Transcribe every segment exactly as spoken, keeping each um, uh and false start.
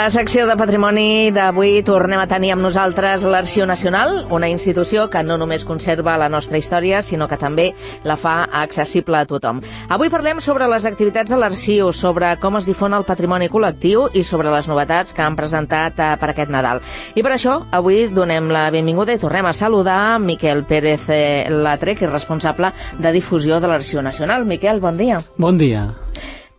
la secció de patrimoni d'avui tornem a tenir amb nosaltres l'Arxiu Nacional, una institució que no només conserva la nostra història, sinó que també la fa accessible a tothom. Avui parlem sobre les activitats de l'Arxiu, sobre com es difon el patrimoni col·lectiu i sobre les novetats que han presentat eh, per aquest Nadal. I per això, avui donem la benvinguda i tornem a saludar Miquel Pérez eh, Latrec, responsable de difusió de l'Arxiu Nacional. Miquel, bon dia. Bon dia.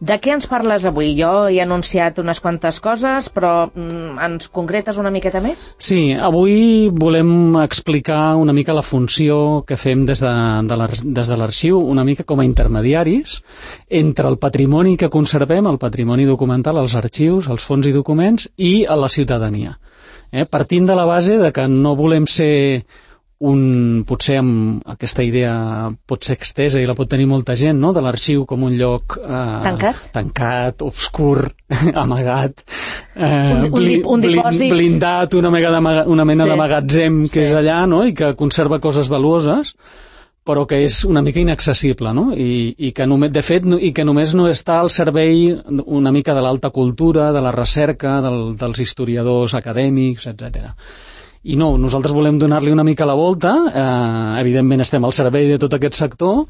De què ens parles avui? Jo he anunciat unes quantes coses, però mm, ens concretes una miqueta més? Sí, avui volem explicar una mica la funció que fem des de, de l'Arxiu, una mica com a intermediaris entre el patrimoni que conservem, el patrimoni documental, els arxius, els fons i documents, i a la ciutadania. Eh? Partint de la base de que no volem ser un, potser amb aquesta idea pot ser extesa i la pot tenir molta gent, no? De l'arxiu com un lloc eh, tancat, tancat, obscur, amagat, eh, un, un, dip, un dipòsit blindat, una, mega de, una mena sí. de magatzem que sí. és allà, no? I que conserva coses valuoses, però que és una mica inaccessible, no? I, i que només, de fet, no, i que només no està al servei una mica de l'alta cultura, de la recerca, del, dels historiadors acadèmics, etcètera. I no, nosaltres volem donar-li una mica la volta, eh, evidentment estem al servei de tot aquest sector,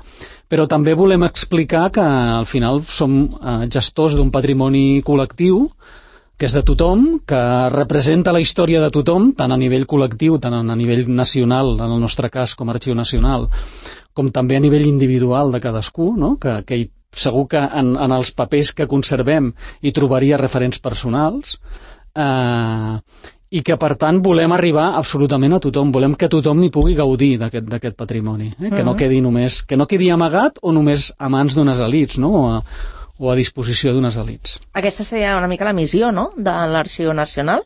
però també volem explicar que al final som eh, gestors d'un patrimoni col·lectiu, que és de tothom, que representa la història de tothom, tant a nivell col·lectiu, tant a nivell nacional, en el nostre cas com a Arxiu Nacional, com també a nivell individual de cadascú, no? que, que hi, segur que en, en els papers que conservem hi trobaria referents personals, eh, i que, per tant, volem arribar absolutament a tothom. Volem que tothom hi pugui gaudir d'aquest patrimoni, eh? que, no quedi només, que no quedi amagat o només a mans d'unes elits, no? o, a, o a disposició d'unes elits. Aquesta seria una mica la missió, no?, de l'Arxiu Nacional,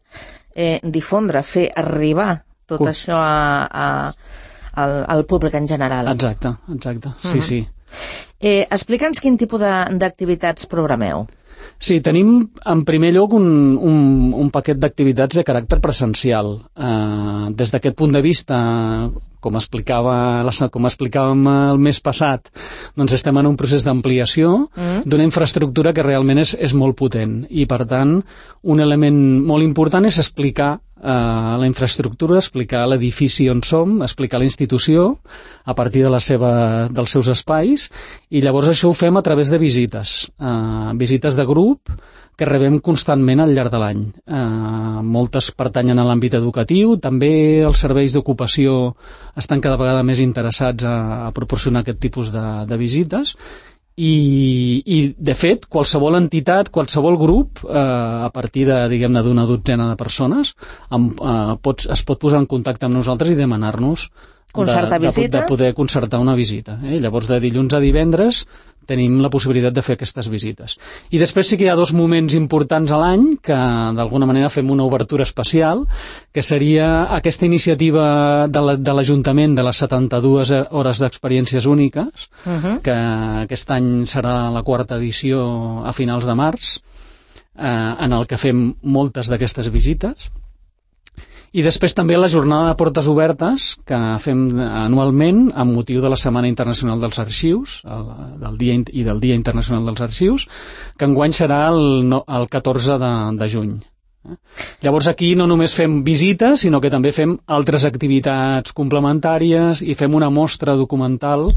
eh, difondre, fer arribar tot Uf. això a, a, al, al públic en general. Exacte, exacte, sí, uh-huh. sí. Eh, Explica'ns quin tipus d'activitats programeu. Sí, tenim en primer lloc un, un, un paquet d'activitats de caràcter presencial. Eh, des d'aquest punt de vista, com explicava, com explicàvem el mes passat, doncs estem en un procés d'ampliació mm. d'una infraestructura que realment és, és molt potent. I, per tant, un element molt important és explicar Uh, la infraestructura, explicar l'edifici on som, explicar la institució a partir de la seva, dels seus espais, i llavors això ho fem a través de visites, uh, visites de grup que rebem constantment al llarg de l'any. Uh, moltes pertanyen a l'àmbit educatiu, també els serveis d'ocupació estan cada vegada més interessats a, a proporcionar aquest tipus de, de visites. I, i de fet, qualsevol entitat, qualsevol grup, eh, a partir de, diguem-ne, d'una dotzena de persones, amb, eh, pot, es pot posar en contacte amb nosaltres i demanar-nos de, de, de poder concertar una visita. Eh? Llavors, de dilluns a divendres, tenim la possibilitat de fer aquestes visites. I després sí que hi ha dos moments importants a l'any que d'alguna manera fem una obertura especial, que seria aquesta iniciativa de l'Ajuntament de les setanta-dues hores d'experiències úniques, uh-huh. que aquest any serà la quarta edició a finals de març, eh, en el que fem moltes d'aquestes visites. I després també la jornada de portes obertes que fem anualment amb motiu de la Setmana Internacional dels Arxius el, del dia, i del Dia Internacional dels Arxius, que enguany serà el, el catorze de juny. Llavors aquí no només fem visites, sinó que també fem altres activitats complementàries i fem una mostra documental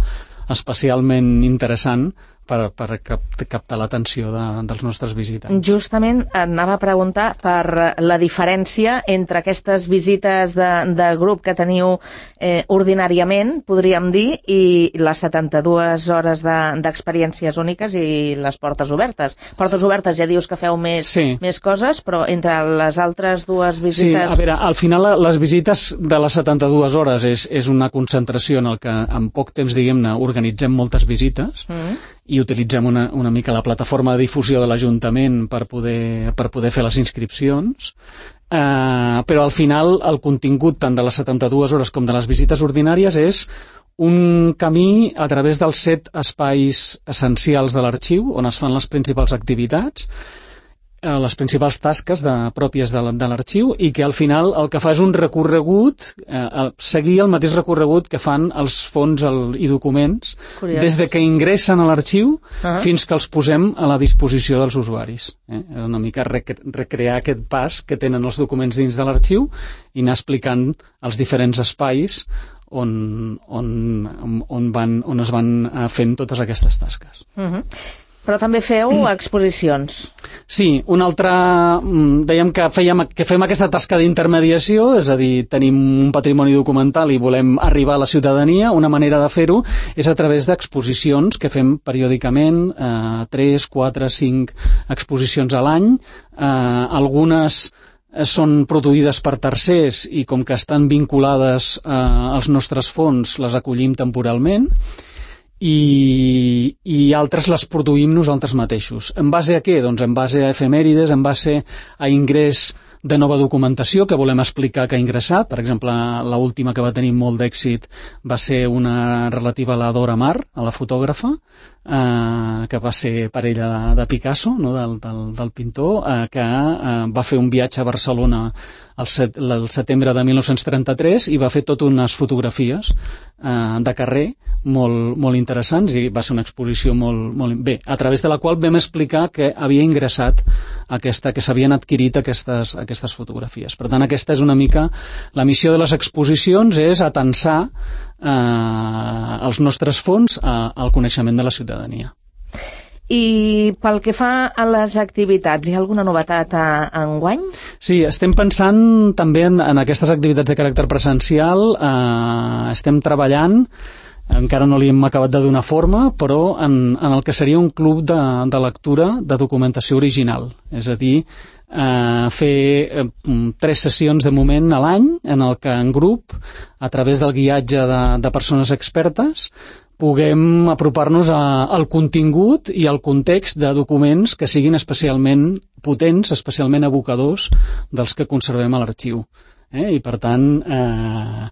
especialment interessant per, per cap, captar l'atenció de, dels nostres visitants. Justament anava a preguntar per la diferència entre aquestes visites de, de grup que teniu eh, ordinàriament, podríem dir, i les setanta-dues hores d'experiències de, úniques i les portes obertes. Portes obertes ja dius que feu més, sí. més coses, però entre les altres dues visites... Sí, a veure, al final les visites de les setanta-dues hores és, és una concentració en el que en poc temps, diguem-ne, organitzem moltes visites, mm. i utilitzem una, una mica la plataforma de difusió de l'Ajuntament per poder, per poder fer les inscripcions, eh, però al final el contingut tant de les setanta-dues hores com de les visites ordinàries és un camí a través dels set espais essencials de l'arxiu on es fan les principals activitats, les principals tasques de, pròpies de, de l'arxiu, i que al final el que fa és un recorregut, eh, seguir el mateix recorregut que fan els fons el, i documents, Curiós. Des de que ingressen a l'arxiu uh-huh. fins que els posem a la disposició dels usuaris. Eh? Una mica rec recrear aquest pas que tenen els documents dins de l'arxiu i anar explicant els diferents espais on, on, on, van, on es van fent totes aquestes tasques. Uh-huh. Però també feu exposicions. Sí, una altra... Dèiem que, fèiem, que fem aquesta tasca d'intermediació, és a dir, tenim un patrimoni documental i volem arribar a la ciutadania. Una manera de fer-ho és a través d'exposicions que fem periòdicament, eh, tres, quatre, cinc exposicions a l'any. Eh, algunes són produïdes per tercers i com que estan vinculades eh, als nostres fons les acollim temporalment. I, i altres les produïm nosaltres mateixos. En base a què? Doncs en base a efemèrides, en base a ingrés de nova documentació que volem explicar que ha ingressat. Per exemple, l'última que va tenir molt d'èxit va ser una relativa a la Dora Maar, a la fotògrafa, eh, que va ser parella de, de Picasso, no? del, del, del pintor, eh, que eh, va fer un viatge a Barcelona el, set, el setembre de mil nou-cents trenta-tres i va fer tot unes fotografies eh, de carrer molt, molt interessants, i va ser una exposició molt, molt bé, a través de la qual vam explicar que havia ingressat aquesta, que s'havien adquirit aquestes, aquestes fotografies. Per tant, aquesta és una mica la missió de les exposicions, és atensar eh, els nostres fons a, al coneixement de la ciutadania. I pel que fa a les activitats, hi ha alguna novetat a, a enguany? Sí, estem pensant també en, en aquestes activitats de caràcter presencial, eh, estem treballant, encara no li hem acabat de donar forma, però en, en el que seria un club de, de lectura de documentació original, és a dir, eh, fer eh, tres sessions de moment a l'any en el que en grup, a través del guiatge de, de persones expertes, puguem apropar-nos al contingut i al context de documents que siguin especialment potents, especialment evocadors dels que conservem a l'arxiu. Eh? I per tant, eh,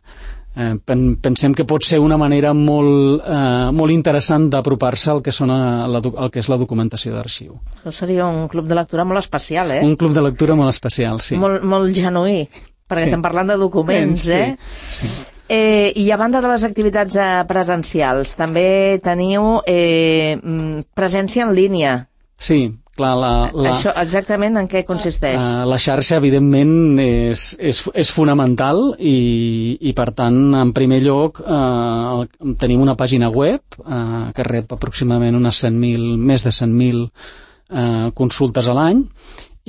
eh, pensem que pot ser una manera molt, eh, molt interessant d'apropar-se al que, són a la, al que és la documentació d'arxiu. Això seria un club de lectura molt especial, eh? Un club de lectura molt especial, sí. Molt, molt genuí, perquè sí. Estem parlant de documents, sí, eh? Sí. Eh, I a banda de les activitats eh, presencials, també teniu eh, presència en línia. Sí, clar. La, la, Això exactament en què consisteix? Uh, la xarxa, evidentment, és, és, és fonamental i, i, per tant, en primer lloc, uh, tenim una pàgina web uh, que rep aproximadament unes cent mil, més de cent mil uh, consultes a l'any,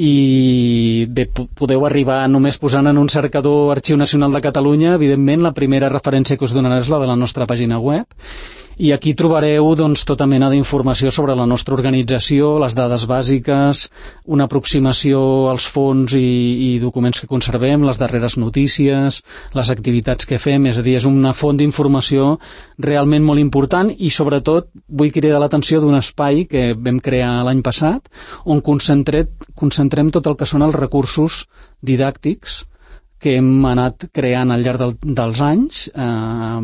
i bé, podeu arribar només posant en un cercador Arxiu Nacional de Catalunya. Evidentment, la primera referència que us donarà és la de la nostra pàgina web, i aquí trobareu doncs, tota mena d'informació sobre la nostra organització, les dades bàsiques, una aproximació als fons i, i documents que conservem, les darreres notícies, les activitats que fem. És a dir, és una font d'informació realment molt important, i sobretot vull cridar l'atenció d'un espai que vam crear l'any passat, on concentrem, concentrem tot el que són els recursos didàctics que hem anat creant al llarg del, dels anys eh,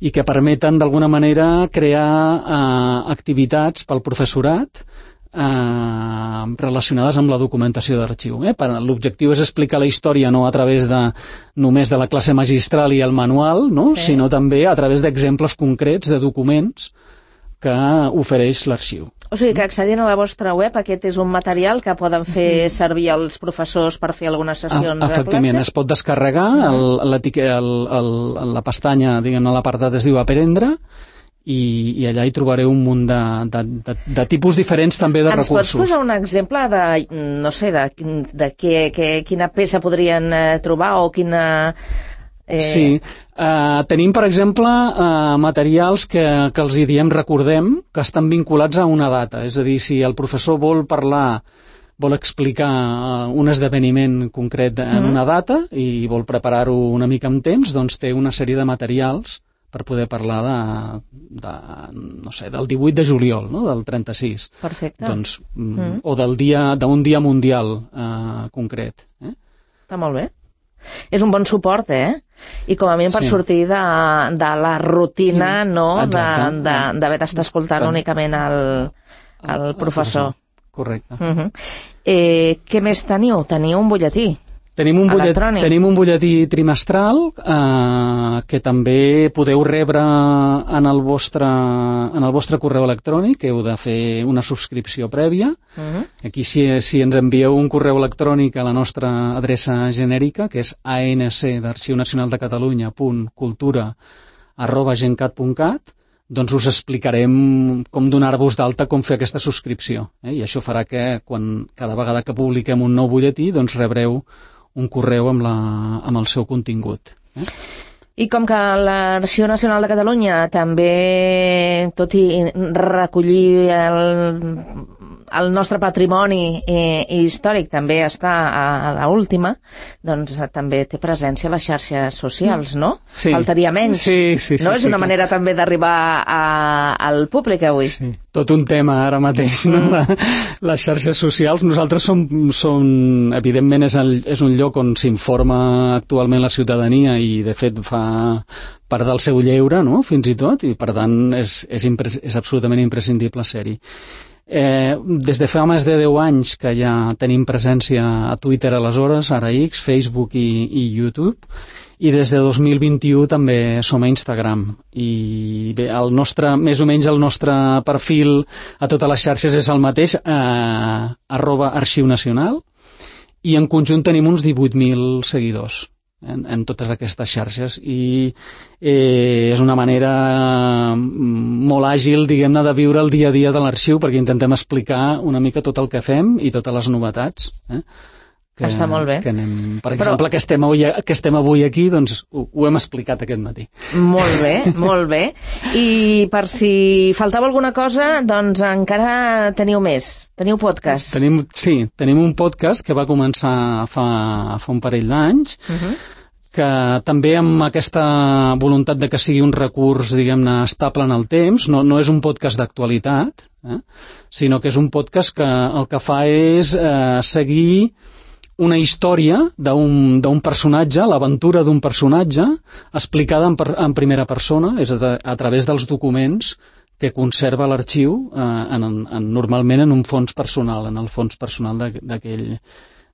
i que permeten d'alguna manera crear eh, activitats pel professorat eh, relacionades amb la documentació d'arxiu. Eh? L'objectiu és explicar la història no a través de només de la classe magistral i el manual, no? Sí. Sinó també a través d'exemples concrets de documents que ofereix l'arxiu. O sigui que accedint a la vostra web, aquest és un material que poden fer servir els professors per fer algunes sessions a, de efectivament, classe? Es pot descarregar, el, el, el, la pestanya, diguem, l'apartat es diu Aprendre, i, i allà hi trobareu un munt de, de, de, de tipus diferents també de Ens recursos. Ens pots posar un exemple de, no sé, de, de què, què, quina peça podrien eh, trobar o quina... Eh... Sí, uh, tenim per exemple uh, materials que, que els hi diem recordem, que estan vinculats a una data, és a dir, si el professor vol parlar, vol explicar uh, un esdeveniment concret en una data i vol preparar-ho una mica amb temps, doncs té una sèrie de materials per poder parlar de, de no sé, del divuit de juliol, no? Del trenta-sis. Perfecte. Doncs, mm. O del dia, d'un dia mundial uh, concret. Eh? Està molt bé. És un bon suport, eh? I com a mínim per sí. sortir de, de la rutina, no? D'haver d'estar escoltant únicament el, el professor. correcte. Uh-huh. Eh, què més teniu? Teniu un butlletí. Tenim un, butllet, tenim un butlletí trimestral eh, que també podeu rebre en el, vostre, en el vostre correu electrònic, que heu de fer una subscripció prèvia. Uh-huh. Aquí si, si ens envieu un correu electrònic a la nostra adreça genèrica, que és anc d'Arxiu Nacional de Catalunya punt cultura arroba gencat punt cat, doncs us explicarem com donar-vos d'alta, com fer aquesta subscripció. Eh? I això farà que quan, cada vegada que publiquem un nou butlletí doncs rebreu un correu amb, la, amb el seu contingut. Eh? I com que l'Arxiu Nacional de Catalunya també, tot i recollir el, el nostre patrimoni eh, històric, també està a, a l'última, doncs també té presència a les xarxes socials, no? Sí. Faltaria menys. Sí, sí, sí, no? És sí, una clar. manera també d'arribar a, al públic avui. Sí. Tot un tema ara mateix, no? Mm. Les xarxes socials. Nosaltres som, som evidentment, és, el, és un lloc on s'informa actualment la ciutadania i, de fet, fa part del seu lleure, no?, fins i tot, i, per tant, és, és, impre, és absolutament imprescindible ser-hi. Eh, des de fa més de deu anys que ja tenim presència a Twitter aleshores, ara X, Facebook i, i YouTube, i des de dos mil vint-i-u també som a Instagram. I bé, el nostre, més o menys el nostre perfil a totes les xarxes és el mateix, eh, arroba Arxiu Nacional, i en conjunt tenim uns divuit mil seguidors en, en totes aquestes xarxes, i eh, és una manera molt àgil, diguem-ne, de viure el dia a dia de l'arxiu, perquè intentem explicar una mica tot el que fem i totes les novetats. Eh? Que, Està molt bé. Que anem, per Però... exemple, que estem, avui, que estem avui aquí, doncs ho, ho hem explicat aquest matí. Molt bé, molt bé. I per si faltava alguna cosa, doncs encara teniu més. Teniu podcast. Tenim, sí, tenim un podcast que va començar fa, fa un parell d'anys, uh-huh. que també amb aquesta voluntat de que sigui un recurs, diguem-ne, estable en el temps, no, no és un podcast d'actualitat, eh? sinó que és un podcast que el que fa és eh, seguir una història d'un d'un personatge, l'aventura d'un personatge, explicada en, per, en primera persona, és a, a través dels documents que conserva l'arxiu, eh, en, en, normalment en un fons personal, en el fons personal d'aquell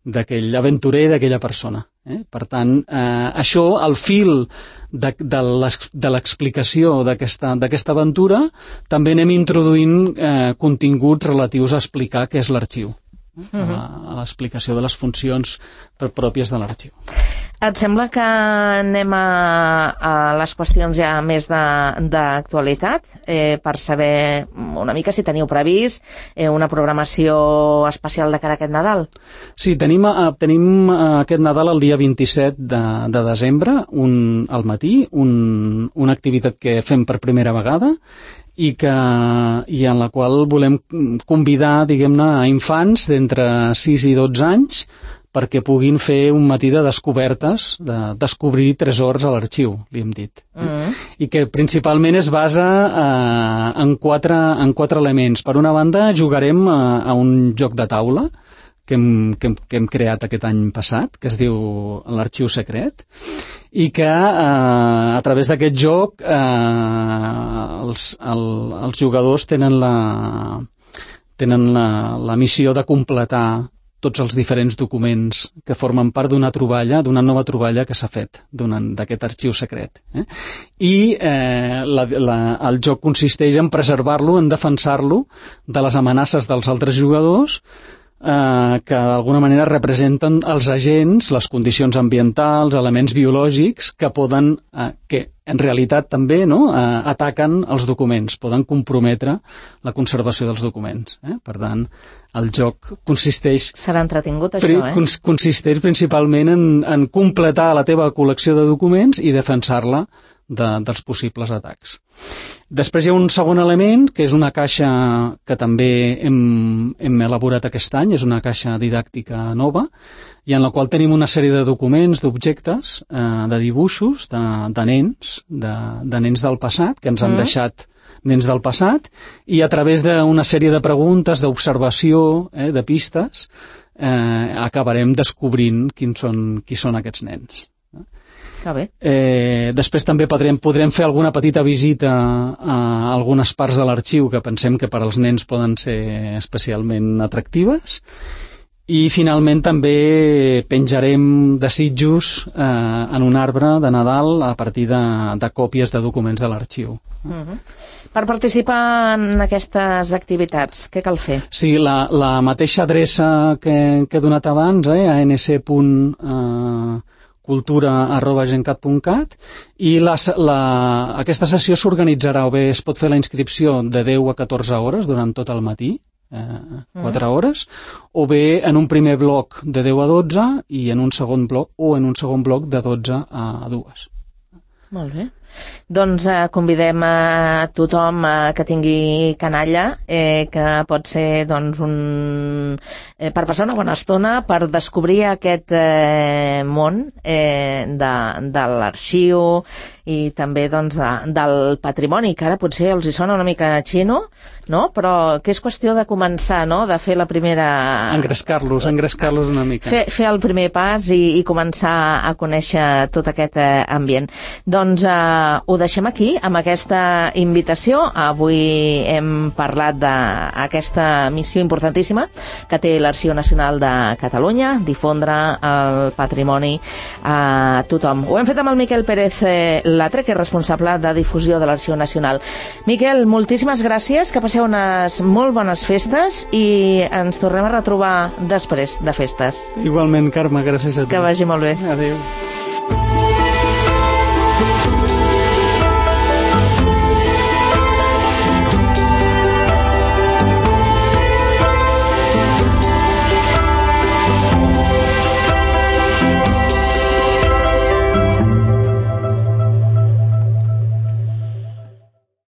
d'aquell aventurer, d'aquella persona. Eh? Per tant, eh, això, al fil de, de l'explicació d'aquesta aventura, també anem introduint eh, continguts relatius a explicar què és l'arxiu. Uh-huh. a l'explicació de les funcions pròpies de l'arxiu. Et sembla que anem a, a les qüestions ja més d'actualitat, eh, per saber una mica si teniu previst eh, una programació especial de cara a aquest Nadal? Sí, tenim, uh, tenim uh, aquest Nadal el dia vint-i-set de, de desembre, un, al matí, un, una activitat que fem per primera vegada, i, que, i en la qual volem convidar, diguem-ne, a infants d'entre sis i dotze anys perquè puguin fer un matí de descobertes, de descobrir tresors a l'arxiu, li hem dit. Mm. I que principalment es basa eh, en, quatre, en quatre elements. Per una banda, jugarem a, a un joc de taula que hem, que, hem, que hem creat aquest any passat, que es diu l'Arxiu Secret, i que eh, a través d'aquest joc eh, els, el, els jugadors tenen la, tenen la, la missió de completar tots els diferents documents que formen part d'una troballa, d'una nova troballa que s'ha fet d'aquest arxiu secret. Eh? I eh, la, la, el joc consisteix en preservar-lo, en defensar-lo de les amenaces dels altres jugadors, eh, que d'alguna manera representen els agents, les condicions ambientals, elements biològics que poden, eh, que en realitat també no, eh, ataquen els documents, poden comprometre la conservació dels documents. Eh? Per tant, el joc consisteix... Serà entretingut, això, eh? Cons consisteix principalment en, en completar la teva col·lecció de documents i defensar-la de, dels possibles atacs. Després hi ha un segon element, que és una caixa que també hem, hem elaborat aquest any, és una caixa didàctica nova, i en la qual tenim una sèrie de documents, d'objectes, eh, de dibuixos, de, de nens, de, de nens del passat, que ens han mm. deixat nens del passat, i a través d'una sèrie de preguntes, d'observació, eh, de pistes, eh, acabarem descobrint quins són, qui són aquests nens. Que bé. Eh, després també podrem, podrem fer alguna petita visita a algunes parts de l'arxiu que pensem que per als nens poden ser especialment atractives. I finalment també penjarem desitjos eh, en un arbre de Nadal a partir de, de còpies de documents de l'arxiu. Uh-huh. Per participar en aquestes activitats, què cal fer? Sí, la, la mateixa adreça que, que he donat abans, eh, a n c punt cultura arroba gencat punt cat, i la, la, aquesta sessió s'organitzarà, o bé es pot fer la inscripció de deu a catorze hores durant tot el matí, eh, quatre mm. hores, o bé en un primer bloc de deu a dotze i en un segon bloc, o en un segon bloc de dotze a dues. Molt bé. Doncs eh, convidem a tothom eh, que tingui canalla, eh, que pot ser doncs, un, eh, per passar una bona estona, per descobrir aquest eh, món eh, de, de l'arxiu i també doncs, de, del patrimoni, que ara potser els hi sona una mica xino, no? Però que és qüestió de començar, no? De fer la primera... Engrescar-los, engrescar-los una mica. Fer, fer el primer pas i, i començar a conèixer tot aquest eh, ambient. Doncs eh, ho deixem aquí, amb aquesta invitació. Avui hem parlat d'aquesta missió importantíssima que té l'Arxiu Nacional de Catalunya, difondre el patrimoni a tothom. Ho hem fet amb el Miquel Pérez Latre, que és responsable de difusió de l'Arxiu Nacional. Miquel, moltíssimes gràcies, que passeu unes molt bones festes i ens tornem a retrobar després de festes. Igualment, Carme, gràcies a tu. Que vagi molt bé. Adéu.